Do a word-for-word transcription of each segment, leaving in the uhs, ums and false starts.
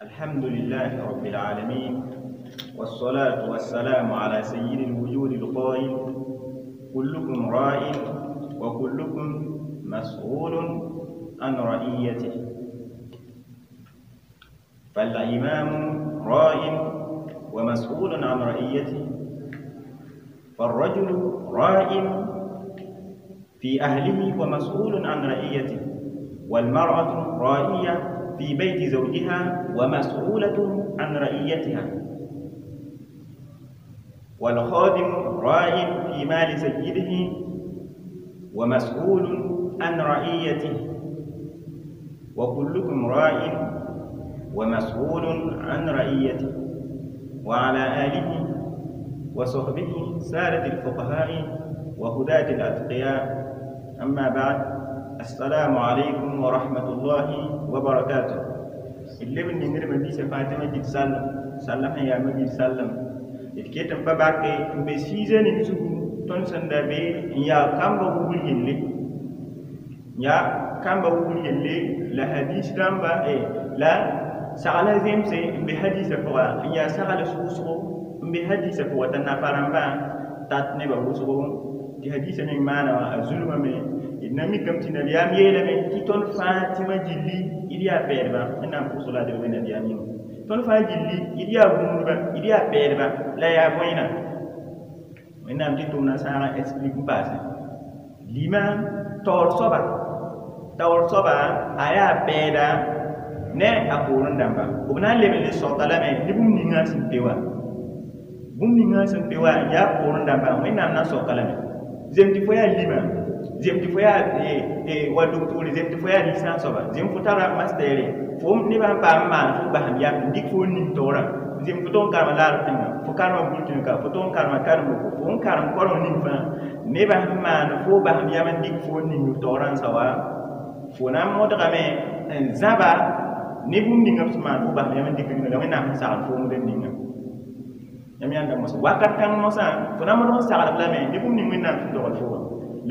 الحمد لله رب العالمين، والصلاة والسلام على سيد الوجود القائل: كلكم راع وكلكم مسؤول عن رعيته. فالإمام راع ومسؤول عن رعيته، فالرجل راع في أهله ومسؤول عن رعيته، والمرأة راعية في بيت زوجها ومسؤولة عن رعيتها، والخادم راع في مال سيده ومسؤول عن رعيته، وكلكم راع ومسؤول عن رعيته. وعلى آله وصحبه سادة الفقهاء وهداة الأتقياء. أما بعد، السلام عليكم ورحمة الله وبركاته. اللي من نير مبي فاطمة جد سلم سلم يا مبي سلم إتكيتم باباك بسيزن يسوع تون سندبي يا كم بقول يلي يا كم بقول يلي لا حديث رامبا إيه لا سأل زيمسي بحديث فوا يا سأل سوسو بحديث فوا تنافرامبا تاتني بوسو دي حديث من مانا الظلم من إنما كم تنبيام يلمي تون فاطمة جلي إليا بيربا إن أم كوسولا دي وين نبيامين تون فاطمة جلي إليا بومبا إليا بيربا لا يا بوينا وإن أم تتونا سارة إسبليك باس لما تور صبا تور صبا آيا بيدا ne a poorẽ dãmba b na n leb n le sogda lame ne bũmb ninga sẽn pe wã bũmb ninga sẽn pe wã yaa poorẽ dãmba Wẽnnaam na n soka lame zem tɩ fo yaa lima, zem tɩ fo yaa wa docteur, zem tɩ fo yaa licence soaba, zem fo tara mastere, fo nebã n paam n maan fo basem yam n dɩk fo n ning taoorã, zem fo tog n karema laarb tẽŋa, fo karema bur tẽŋa ka fo tog n karema karemboko, fo n karem koreng ning fãa, nebã sẽn maan fo basem yam n dɩk fo n ning taoorã n sa wa fo na n modgame n zãba ne bũmb ninga b sẽn maan fo basem yam n dɩk ninga la Wẽnnaam sẽn sagl foom rẽnd ninga yãmb yãnda mosã wakat kãng mosã fo na n modg n saglb lame ne bũmb ning Wẽnnaam sẽn dogl fo wã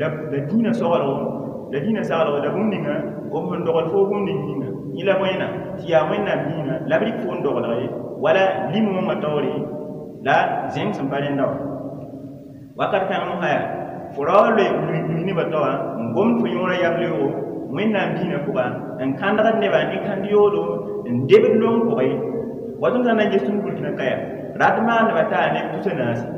la la dĩinã sogelgo la dĩinã saglgo la bũmb ninga b sẽn dogl fo bũmb ning yĩnga yẽ la bõena tɩ yaa Wẽnnaam dĩinã la b rɩk fo n doglg ye wala lim-wãngã taoore la zẽng sẽn pa rẽnda wã wakat kãng mosã yaa fo ra wa loe lui nebã taoã n gomd fo yõorã yam-leoogo Wẽnnaam dĩinã pʋga n kãndgd nebã ne kãnd yoodo n debd long pʋgẽ wa tõnd sã n na n ges tõnd burkina kaya rat maandbã taa neb tusa naase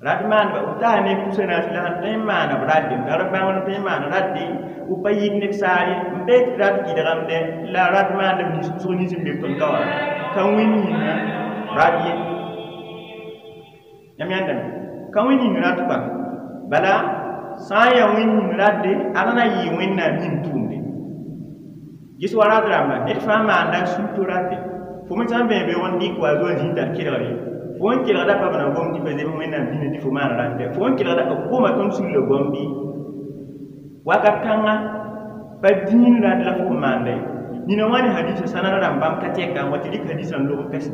rat maandbã b taa neb tusa naase la sẽn tõe n maana b ratde tar bãngr tõe n maan ratde b pa yit neb saar ye n bee tɩ rat kɩdgemde la rat maandb nins wʋsg nins n be tõnd ka wã ka wẽnd yĩnga rat ye yãmb yãndame ka wẽnd yĩng rat kpa bala sã n yaa wẽnd yĩng ratde ad na yɩ Wẽnnaam yĩng tʋʋmde ges wa rat rãmba ned fãa maanda sũ-to ratde fo me sã n bẽe beoog n dɩk wa zoa zĩig t'a kelgre fo n kelgda pa b na gom tɩ pa zems Wẽnnaam dĩnã tɩ fo maan ratde fo n kelgda b goma tõnd sulla goam bɩ wakat kãnga pa dĩin rat la fo maanda ye nina wã ne hadisa sãnad rãmb bãmb ka tɛka n wa tɩ rɩk hadisã n log n pɛsẽ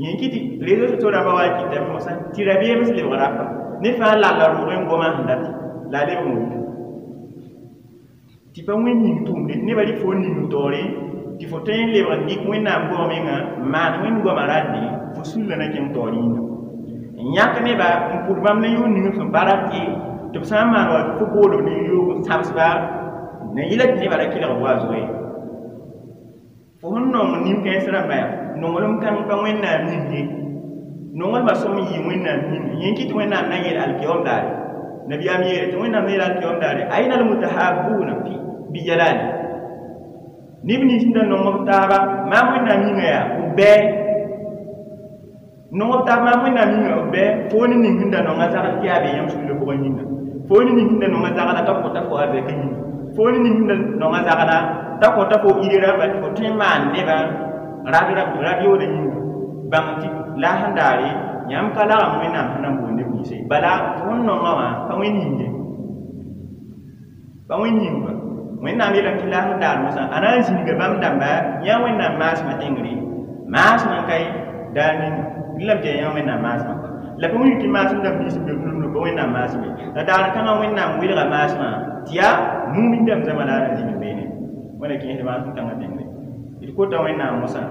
yẽ kɩ tɩ réseau sociaux rãmbã wa kɩtame mosã tɩ rabeem sẽn lebg rapa ne fãa lalla rʋʋg n goma sẽn dati la a lebg n wʋm tɩ pa wẽnd yĩng tʋʋmde nebã rɩk fo n ning taoore tɩ fo tõe n lebg n dɩk Wẽnnaam goam menga n maan wẽnd goamã ratde fo sulla na kẽng taoor yĩnga n yãk neba n pʋd bãmb ne yʋʋn ning sẽn pa rat ye tɩ b sã n maan wa fo boolb ne yoog n sabsba na yɩla tɩ nebã ra kelg b wa zoe fo sẽn nong nin-kãens rãmba yaa nonglem kãng pa Wẽnnaam yĩng ye nonglmã sõm n yɩ Wẽnnaam yĩnga yẽ kɩ tɩ Wẽnnaam na n yeel alkiyom daare nabiyaam yeele tɩ Wẽnnaam na yeel alkiyom daare aina almutahabuna fi bijalali neb nins sẽn da nong b taaba maam Wẽnnaam yĩnga yaa b bɛɛ nong b taab maam Wẽnnaam yĩnga b bɛɛ fo ne ning sẽn da nonga zagl tɩ yaa be yãmb sulla pʋgẽ yĩnga fo ne ning sẽn da nonga zagla t'a kõta fo arzɛkã yĩnga fo ne ning sẽn da nonga zagla t'a kõta fo ire rãmba tɩ fo tõe n maan nebã rad yooda yĩnga bãng tɩ la sẽn daare yãmb ka lagem Wẽnnaam sẽn na n boond neb ninsẽ bala fo sẽn nongã wã pa wẽnd yĩng ye pa wẽnd yĩng ba Wẽnnaam yeelame tɩ la sẽn daar mosã a na n zĩniga bãmb dãmba yã Wẽnnaam maasmã tẽngre maasmã n kae daar ninga rẽlame tɩ yaa yã Wẽnnaam maasmã la pa wilg tɩ maasem dãmb nins n be b pa Wẽnnaam maasme la daar kãngã Wẽnnaam welga maasmã tɩ yaa mumin dãmb zãma la a na zĩnd beene wẽna kẽesd maasem kãngã tẽngre. D kota Wẽnnaam mosã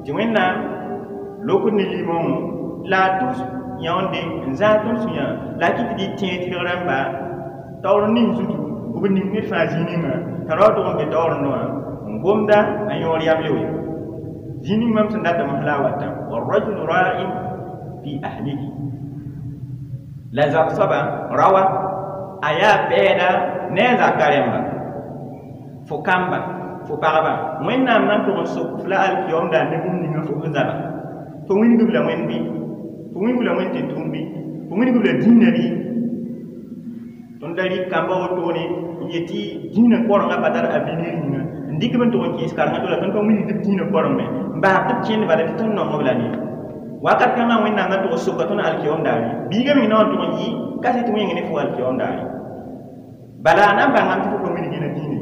tɩ Wẽnnaam lok ne limõngo la a tʋs yãonde n zãag tõnd sũyã la a kɩt tɩ d tẽeg tɩrg rãmba taoor ning zutu b ning ned fãa zĩig ninga t'a rao tʋg n be taoorendẽ wã n gomda a yõor yamle we zĩig ning mam sẽn dat mosã la a watã والرجل راع في أهله la zab soaba rawa a yaa pɛɛda ne a zaka rẽmba fo kamba fo pagba Wẽnnaam na n tʋg n sok f la alkiyom daar ne bũmb ninga fo sẽn zaba fo wilgb la Wẽnd bɩ fo wilgb la Wẽnd tɩ-tʋʋm bɩ fo wilgb la dĩinã bɩ tõnd da rɩk kamba wotone n yetɩ dĩinã korengã pa tar avenir yĩnga n dɩk b n tʋg n kẽes karengã to la tõnd pa wilgd b dĩinã koreng me n bas tɩ b kẽnd bala tɩ tõnd nong b la ne wakat kãngã Wẽnnaam na tʋg n soka tõnd alkiyom daare biigã meng na n tʋg n yɩ ka sɩ tɩ wẽng ne fo alkiyom daare bala a na n bãngame tɩ fo pa wilg yẽna dĩinã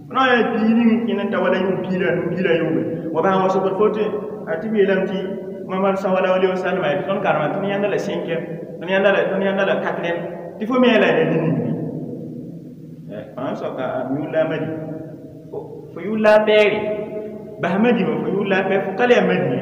fo na n yaa bii ning n kẽnd n ta wala yʋng piig la a nu piig la a yooobe wa bãng wa sokd fo tɩ a tɩ b yeelame tɩ Mamad sallallahu alaihi wasallam tɩ tõnd karema tõnd yãnda la cinquième tõnd yãnda la tõnd yãnda la quatrième tɩ fo me yaa la ya ning bɩ fãa soaka yʋʋr la a madi fo yʋʋr la a pɛɛre bas madimã fo yʋʋr la a pɛɛr fo ka le yaa madi ye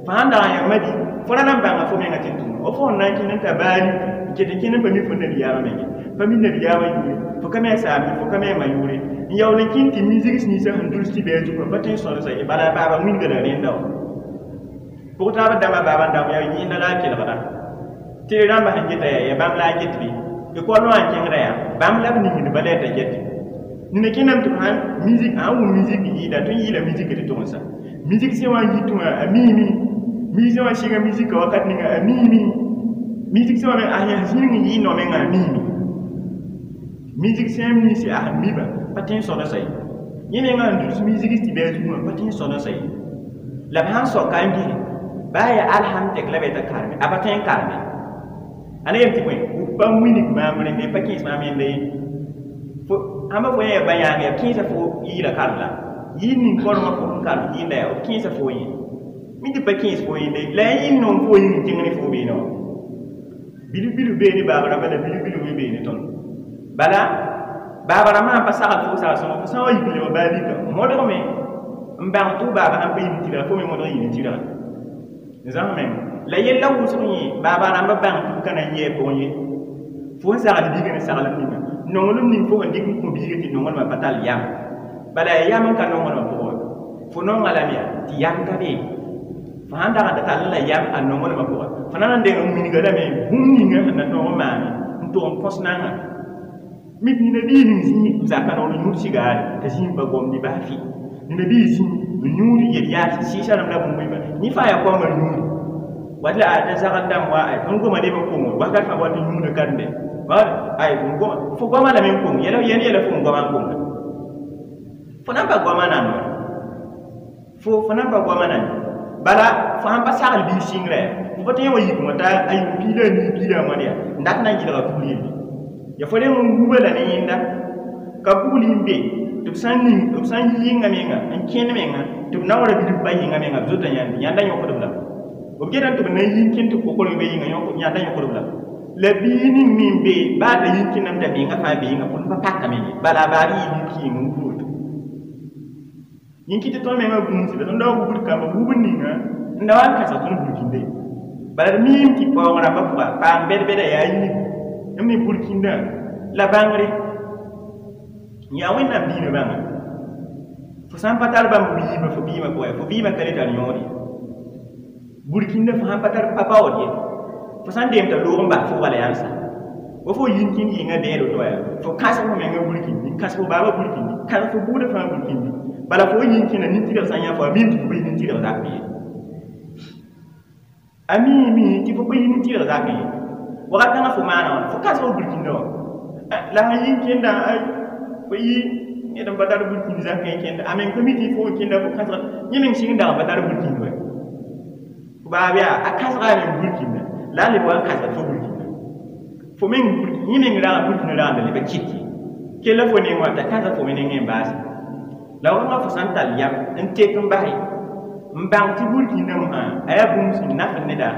fo sãn dag n yaa madi fo ra na n bãnga fo menga tɩ n tʋm wa fo sẽn na n kẽnd n ta baali n ket n kẽnd n pa mi fo nabiyaamã menge pa mi nabiyaamã yʋʋre fo ka me a saam fo ka me a ma yʋʋre n yaool n kẽnd tɩ mi-zigs ninsã sẽn duls tɩ bɩ a zugã pa tõe n sõdsa ye bala baaba wilga la rẽnda wã pʋg taab dãmbã baaba n dãmb yaa yẽnda la a kelgda tɩ rãmbã sẽn geta yaa yaa bãmb la a get bɩ école wã n kẽngda yaa bãmb la b ningd bala yaa t'a get nina kẽndame tɩ b sãn musique sãn wʋm musique yɩɩda tõnd yɩɩla musique tɩ tʋg n sa musique sẽn wa n yitẽ wã a miime musicien wã sɩnga musique wakat ninga a miime musicien wã me a yãs zĩig n yɩ no-mengã a miime musicien nins a sẽn miba pa tõe n sõdsa ye yẽ mengã n duls musique tɩ bɩ a zugã pa tõe n sõdsa ye la b sãn soka n gese baa yaa alhamtek la b t'a karme a pa tõe n karme a na yem tɩ bõe b pa wilg maam rẽnde pa kẽes maam yẽnda ye fo ãmba fo yã ba yãag yaa kẽesa fo yɩɩla karem la yɩɩ ning korengã fo sẽn karem yɩɩnda yaa b kẽesa fo yẽ mi tɩ pa kẽes fo yẽnde la ya yĩng nong fo yĩng n kẽng ne fo beene wã bilf bilf bee ne baaba rãmbã la bilf bilf me bee ne tõnd bala baaba rãmbã sãn pa sagl fo sagl sõngo fo sã n wa yik n lebg baa lika modgme n bãng tɩ f baaba sãn pa yim tɩrga fo me modg n yɩ ne tɩrga zãms meng la yella wʋsg yẽ baaba rãmbã bãng tɩ b ka na n yɩ a pʋgẽ ye fo n sagl biigã ne saglem ninga nonglem ning fo sẽn dɩk n kõ biigã tɩ nonglmã pa tall yam bala yaa yam n ka nonglmã pʋgẽ wa fo nonga lame yaa tɩ yam ka be fo sãn dag n ta tall la yam a nonglmã pʋgã fo na n deng n wilga lame bũmb ninga sẽn na tõog n maane n tʋg n kõs nanga mik nina bii ning zĩig zaka noor n yũud sigaare t'a zĩig pa gomdi baa fɩ nina bii zĩig n yũud yel-yaas sɩɩsa rãmb la bũmb yĩmba yẽ fãa yaa koamba yũudi wat la a t'a zagl dãmb wa ay tõnd goma leb n koŋo wakat fãa wat n yũuda kãrembe ay goma fo goama lame n koŋ yɛla yɛl yɛla fo n goama n koŋda fo na n pa goama nan wa fo fo na n pa goama nan bala fo sãn pa sagl biig sɩngrã yaa fo pa tõe n wa yik wã t'a a yʋʋm piig la a nii piig la a wãn yaa n dat na n yɩlga kugl yelle ya fo reng n wuba la ne yẽnda ka kugl n be tɩ b sã n ning b sã n yi yɩnga menga n kẽnd menga tɩ b naoora bilf pa yɩnga menga b zota yãnd yãnda yõkdb la b getame tɩ b na n yi n kẽnd tɩ kokorg be yĩnga yãnda yõkdb la la bii ning me n be baa t'a yi n kẽndame t'a menga fãa be yĩnga põd pa pakame ye bala a baab yɩ bilf yĩng n wub woto yẽn kɩ tɩ tõnd menga gũusda tõnd da wa wubd kamba wubd ninga n da wa n kãsg tõnd burkinde bala d miime tɩ paoong rãmbã pʋga paam bɛd-bɛda yaa yiibu m me burkindã la bãngre yaa Wẽnnaam diinã bãnga fo sã n pa tar bãmb biimã fo biimã pʋgã fo biimã ka le tar yõod ye burkindã fo sãn pa tar pa baood ye fo sã n deem t'a loog n bas fo wala yãnsa wa fo yĩn kẽnd yɩnga bẽed woto yaa fo kãsg fo menga burkindi n kãsg fo baabã burkindi kãsg fo buudã fãa burkindi bala fo yĩn kẽnda nin-tɩrg sã n yã fo a miime tɩ fo pa yɩ nin-tɩrg zakẽ ye a miime tɩ fo pa yɩ nin-tɩrg zakẽ ye wakat kãngã fo maana wãna fo kãsg fo burkindã wã la sã yĩn kẽnda fo yɩ ned n pa tar burkind zakẽ kẽnda a meng pa mi tɩ fo kẽnda fo kãsg yẽ meng sɩng dag n pa tar burkind wa fo baab yaa a kãsga a meng burkinda la a leb wa n kãsgd fo burkinda fo meng yẽ meng rag burkinda rag n da leb kɩt ye kella fo neng wã t'a kãsg fo me nengẽ n baase la wãngã fo sã n tall yam n tek n base n bãng tɩ burkindã mosã a yaa bũmb sẽn naf neda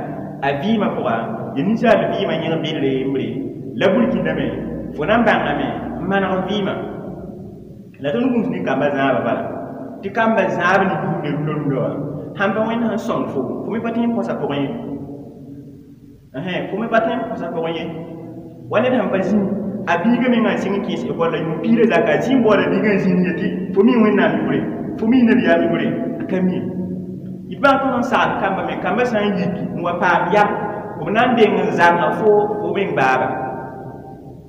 a vɩɩmã pʋga ya ninsaal vɩɩmã yẽg bedre yembre la burkindã me fo na n bãngame n maneg vɩɩmã la tõnd gũus ne kamba zãabã bala Tɩ kamba zãab ne buudã rũndã rũndã wã sãn pa wẽnd sẽn sõng fo fo me pa tõe n põsa pʋgẽ ye fo me pa tõe n põsa pʋgẽ ye wa ned sẽn pa zĩ a biiga mengã n sɩng n kẽes ekɔl la yʋʋm piirã zaka a zĩ n baooda biigã n zĩnd yetɩ fo mi wẽnnaam yʋʋre fo mi nabiyaam yʋʋre a ka mi d bãng tõnd n sagd kamba me kambã sã n yiki n wa paam yam b na n deng n zãnga fo fo meng baaba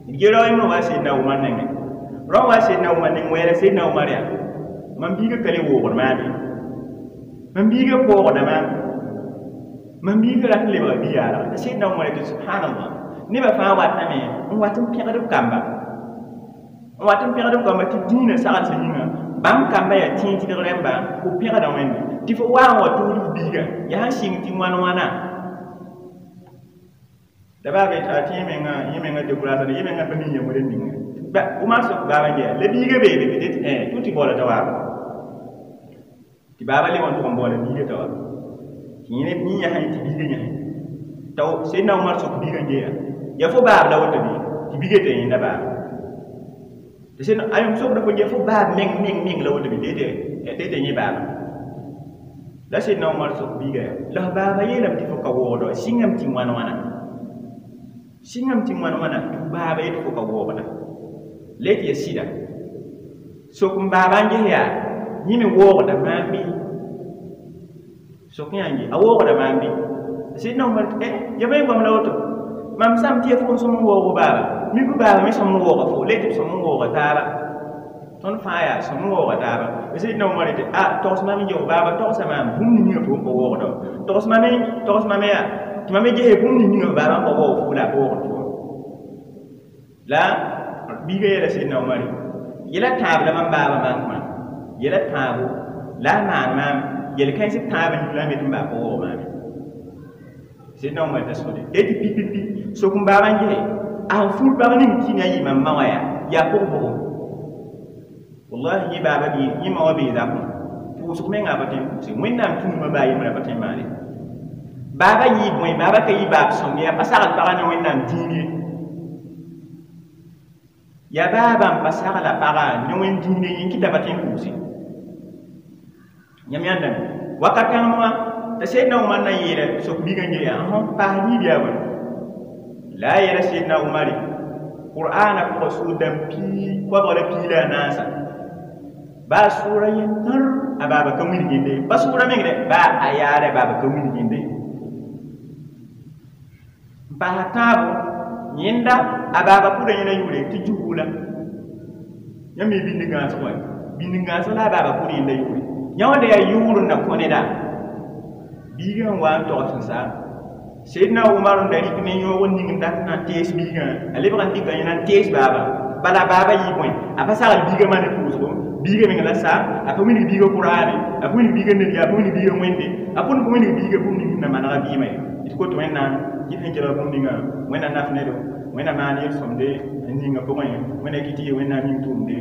d ge rao yẽmbrã wa Seydina Umar nengẽ rao wa Seydina Umar neng wɛɛra Seydina Umar yaa mam biiga ka le woogd maam ye mam biiga koogda maam mam biiga rat n lebga bi-yaalga t'a Seydina Umar yetɩ subhanallah nebã fãa watame n wat n pẽgd b kamba n wat n pẽgd b kamba tɩ dĩinã saglsã yĩnga bãmb kamba yaa tẽeg tɩdg rẽmba fo pẽgda wẽnde tɩ fo wa n wa tʋʋd f biiga yaa sẽn sɩng tɩ wãn wãna la baa be a tẽ menga yẽ menga découragé yẽ menga pa mi yãmb rẽnd ninga Umar sok baaba n yaa la biiga beebe be tɩ tʋ tɩ baooda t'a waaba tɩ baaba le wa n tʋg n baooda biiga t'a wa tɩ yẽ yãsẽ tɩ biiga yãsẽ t'a Seydina Umar sok biiga n geeya yaa fo baab la woto bɩ tɩ biiga t'a yẽnda baaba tɩ sẽn ayem sokda fo yaa fo baab meng meng meng la woto bɩ tɩ tɩ yẽ baaba la Seydina Umar sok biiga yaa la f baaba yeelame tɩ fo ka waoogda wa sɩngame tɩ wãn wãna sɩngame tɩ wãn wãna tɩ f baaba yetɩ fo ka waoogda la yetɩ yaa sɩda sok n baaba n ges yaa yẽ me waoogda maam bɩ sok yã n ge a waoogda maam bɩ Seydina Umar tɩ ya bõe goam la woto mam sãm tɩ ya fo n sõm n waoog baaba mik baaba me sõm n waooga fo la yetɩ b sõm n waooga taaba tõnd fãa yaa sõm n waooga taaba Seydina Umar yetɩ a togs mam n geo baaba togsa maam bũmb ning yĩnga fo n pa waoogda togs mam togs mam yaa tɩ mam me gese bũmb ning yĩnga f baaba n pa waoog fo la a pa waoogd fo la biiga yeela Seydina Umar yɛla tãab la mam baaba maan yɛla tãabo la a maan maam yel-kãens tãab n yik la me tɩ m baa pa waoog maame Seydina Umar t'a sode la tɩ pi-pi-pi sok n baaba n gese a sẽn fur bag ning tɩ na yɩ mam ma wã yaa yaa pʋg-pʋgẽ wallahi yẽ baaba bɩ yẽ ma wã bee zakẽ pʋʋsg mengã a pa tõe n pʋʋse wẽnnaam tũudmã baa yembrã pa tõe n maane baaba yɩɩ bõe baaba ka yɩ baab sõng ye a pa sagl pagã ne wẽnnaam dĩin ye yaa baaba n pa sagla pagã ne wẽnd dĩin ye yẽ kɩta pa tõe n pʋʋse yãmb yãndame wakat kãngem wã t'a Seydina Umar na n yeela sok biigã n ge yaa n paas niib yaa bõe la a yeela Seydina Umare Qur'aana pʋgã sʋʋd-dãmb pii koabg la pii la a naasa baa sʋʋra yentãr a baaba ka wilg yẽnda ye pa sʋʋra meng dɛ baa a yaara baaba ka wilg yẽnda ye n paasa tãabo yẽnda a baaba pʋda yẽna yʋʋre tɩ juhula yãmb mi bĩnd gãasg wa bĩnd gãasg la a baaba pʋd yẽnda yʋʋre yã wãnda yaa yʋʋr n na kõ neda biigã n wa n togs n sa Seydina Umar n da rɩk ne yõog n ning n dat na n tees biigã a lebg n dɩka yẽna n tees baaba bala baaba yɩ bõe a pa sagl biigã maa ne pʋʋsgo biigã meng la sa a pa wilg biigã Qur'ane a pa wilg biigã nabiya a pa wilg biigã wẽnde a pʋd n pa wilg biigã bũmb ning na manega vɩɩmã ye d kot wẽnnaam kɩt sẽn kelg bũmb ninga wẽnna naf nedo wẽnna maan yel-sõmde n ninga pʋgẽ wẽnna kɩ tɩ yɩ wẽnnaam yĩng tʋʋmde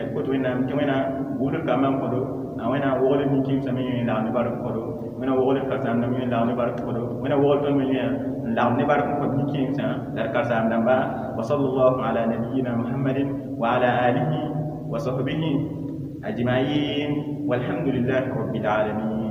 d kot wẽnnaam tɩ wẽna buudr kambã n kõdo a wẽna wogl nin-kẽemsã me yẽ n lagm ne bark n kõdo wẽna wogl karen-saam dãmb yẽ n lagm ne bark n kõdo wẽna wogl tõnd me yẽ n lagm ne bark n kõt nin-kẽemsã la d karen-saam dãmba wa sallallahu ala nabiyina muhammadin wa ala alihi wa sahbihi ajma'in walhamdulillahi rabbil alamin.